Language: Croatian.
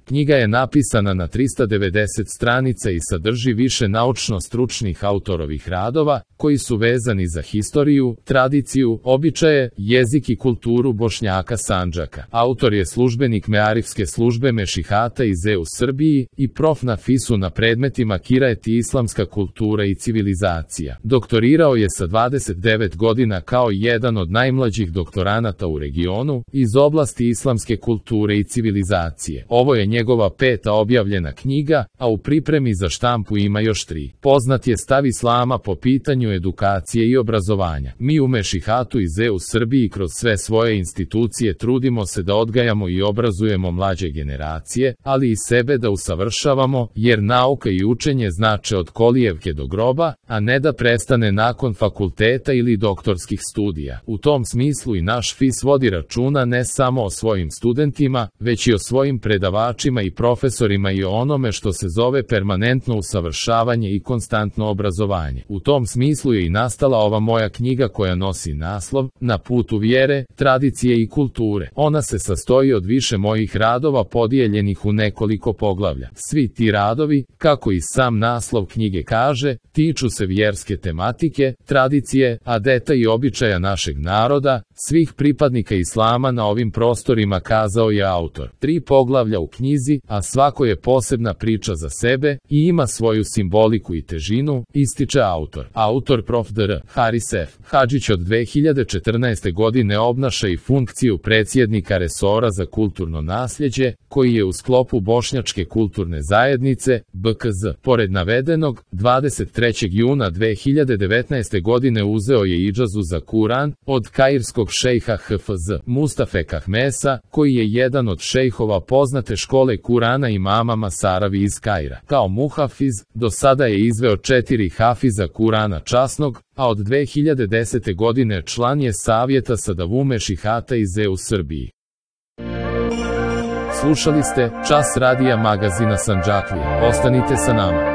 Knjiga je napisana na 390 stranica i sadrži više naučno-stručnih autorovih radova, koji su vezani za historiju, tradiciju, običaje, jezik i kulturu Bošnjaka Sandžaka. Autor je službenik Mearifske službe Mešihata iz u Srbiji i prof na FIS-u na predmetima Kiraet i islamska kultura i civilizacija. Doktorirao je sa 29 godina kao jedan od najmlađih doktoranata u regionu iz oblasti islamske kulture i civilizacije. Ovo je njegova 5. objavljena knjiga, a u pripremi za štampu ima još 3. Poznat je stav islama po pitanju edukacije i obrazovanja. Mi u Mešihatu iz u Srbiji kroz sve svoje institucije trudimo se da odgajamo i obrazujemo mlađe generacije, ali i sebe da usavršavamo, jer nauka i učenje znače od kolijevke do groba, a ne da prestane nakon fakulteta ili doktorskih studija. U tom smislu i naš FIS vodi računa ne samo o svojim studentima, već i o svojim predavačima i profesorima i o onome što se zove permanentno usavršavanje i konstantno obrazovanje. U tom smislu je i nastala ova moja knjiga koja nosi naslov Na putu vjere, tradicije i kulture. Ona se sastoji od više mojih radova podijeljenih u nekoliko poglavlja. Svi ti radovi, kako i sam naslov knjige kaže, tiču se vjerske tematike, tradicije, adeta i običaja našeg naroda, svih pripadnika islama na ovim prostorima, kazao je autor. 3 poglavlja u knjizi, a svako je posebna priča za sebe i ima svoju simboliku i težinu, ističe autor. Autor prof. dr. Haris F. Hadžić od 2014. godine obnaša i funkciju predsjednika resora za kulturno nasljeđe, koji je u sklopu Bošnjačke kulturne zajednice, BKZ. Pored navedenog, 23. juna 2019. godine uzeo je idžazu za Kuran od kairskog šejha HFZ Mustafe Kahmesa, koji je jedan od šejhova poznate škole Kurana imama Masaravi iz Kaira. Kao muhafiz, do sada je izveo 4 hafiza Kurana časnog, a od 2010. godine član je savjeta Sadavu Mešihata iz u Srbiji. Slušali ste Čas radija magazina Sandžaklija. Ostanite sa nama.